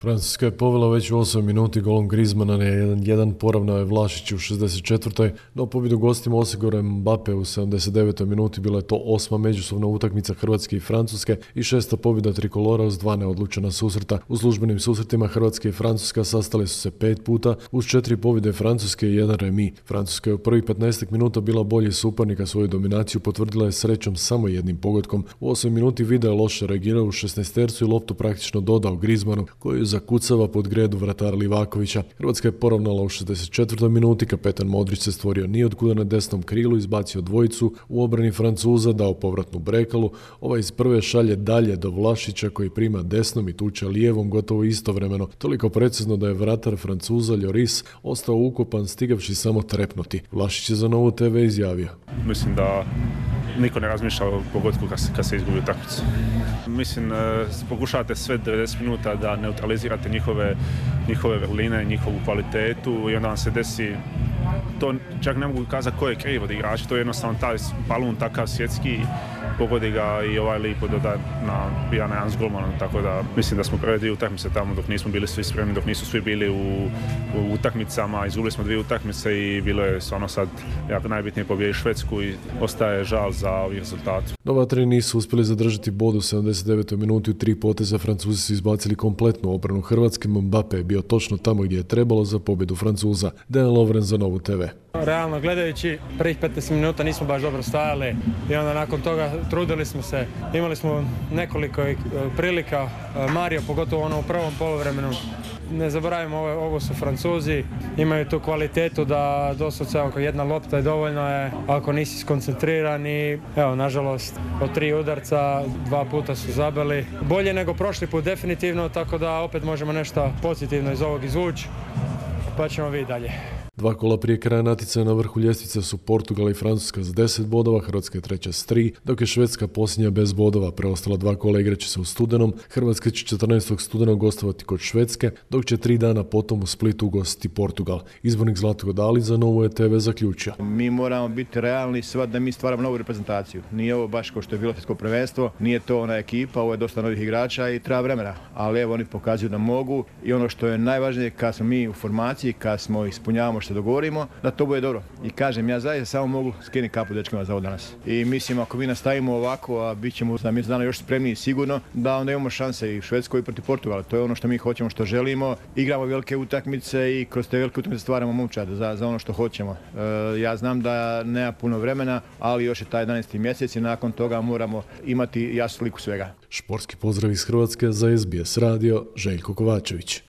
Francuska je povela već u 8 minuti golom Griezmana na 1-1, poravnao je Vlašić u 64. No pobjedu gostima osigurao Mbappe u 79. minuti. Bila je to 8. međusobna utakmica Hrvatske i Francuske i 6. pobjeda trikolora uz 2 neodlučena susreta. U službenim susretima Hrvatske i Francuska sastale su se 5 puta uz 4 pobjede Francuske i 1 remi. Francuska je u prvih 15 minuta bila bolji suparnika, svoju dominaciju potvrdila je srećom samo jednim pogodkom. U 8 minuti Vida je loše reagirao u 16-tercu i loptu praktično dodao Griezmanu, koji zakucava pod gredu vratara Livakovića. Hrvatska je poravnala u 64. minuti, kapetan Modrić se stvorio nijotkuda na desnom krilu, izbacio dvojicu, u obrani Francuza dao povratnu brekalu, ovaj iz prve šalje dalje do Vlašića koji prima desnom i tuče lijevom gotovo istovremeno, toliko precizno da je vratar Francuza Lloris ostao ukopan stigavši samo trepnuti. Vlašić je za Novu TV izjavio: Mislim da niko ne razmišlja o pogodku kad se izgubi utakmicu. Mislim, pokušavate sve 90 minuta da neutralizirate njihove vrline, njihovu kvalitetu i onda vam se desi, to čak ne mogu kazati ko je kriv od igrača, to je jednostavno taj balun takav svjetski, pogodi ga i ovaj lipo doda na 1-1 s golmanom, tako da mislim da smo prve 2 utakmice tamo dok nismo bili svi spremni, dok nisu svi bili u utakmicama, izgubili smo 2 utakmice i bilo je stvarno sad jako najbitnije pobijediti Švedsku i ostaje žal za ovi rezultat. Novatari nisu uspjeli zadržati bod u 79. minuti, u 3 poteza Francuzi su izbacili kompletnu obranu Hrvatske. Mbappe je bio točno tamo gdje je trebalo za pobjedu Francuza. Dejan Lovren za Novu TV. Realno gledajući, prvih 15 minuta nismo baš dobro stajali i onda nakon toga trudili smo se. Imali smo nekoliko prilika, Mario pogotovo ono u prvom poluvremenu. Ne zaboravimo, ovo su Francuzi, imaju tu kvalitetu da doslovce ako jedna lopta je dovoljno je, ako nisi skoncentriran i evo, nažalost, od 3 udarca 2 puta su zabili. Bolje nego prošli put definitivno, tako da opet možemo nešto pozitivno iz ovog izvući, pa ćemo vidjeti dalje. 2 kola prije kraja natjecanja na vrhu ljestvice su Portugal i Francuska s 10 bodova, Hrvatska je treća s 3, dok je Švedska posljednja bez bodova. Preostala 2 kola igraće se u studenom. Hrvatska će 14. studenog gostovati kod Švedske, dok će 3 dana potom u Splitu ugostiti Portugal. Izbornik Zlatko Dalić za Novu TV zaključio: Mi moramo biti realni da mi stvaramo novu reprezentaciju. Nije ovo baš kao što je bilo svjetsko prvenstvo, nije to ona ekipa, ovo je dosta novih igrača i treba vremena. Ali evo, oni pokazuju da mogu i ono što je najvažnije, kad smo mi u formaciji, kad smo ispunjavamo što dogovorimo, da to bude dobro. I kažem, ja zaista samo mogu skinuti kapu dečkima za ovo danas. I mislim, ako mi nastavimo ovako, a bit ćemo za mjesec dana još spremniji sigurno, da onda imamo šanse i u Švedskoj i protiv Portugala. To je ono što mi hoćemo, što želimo. Igramo velike utakmice i kroz te velike utakmice stvaramo momčad za ono što hoćemo. Ja znam da nema puno vremena, ali još je taj 11. mjesec i nakon toga moramo imati jasnu sliku svega. Športski pozdrav iz Hrvatske za SBS radio, Željko Kovačević.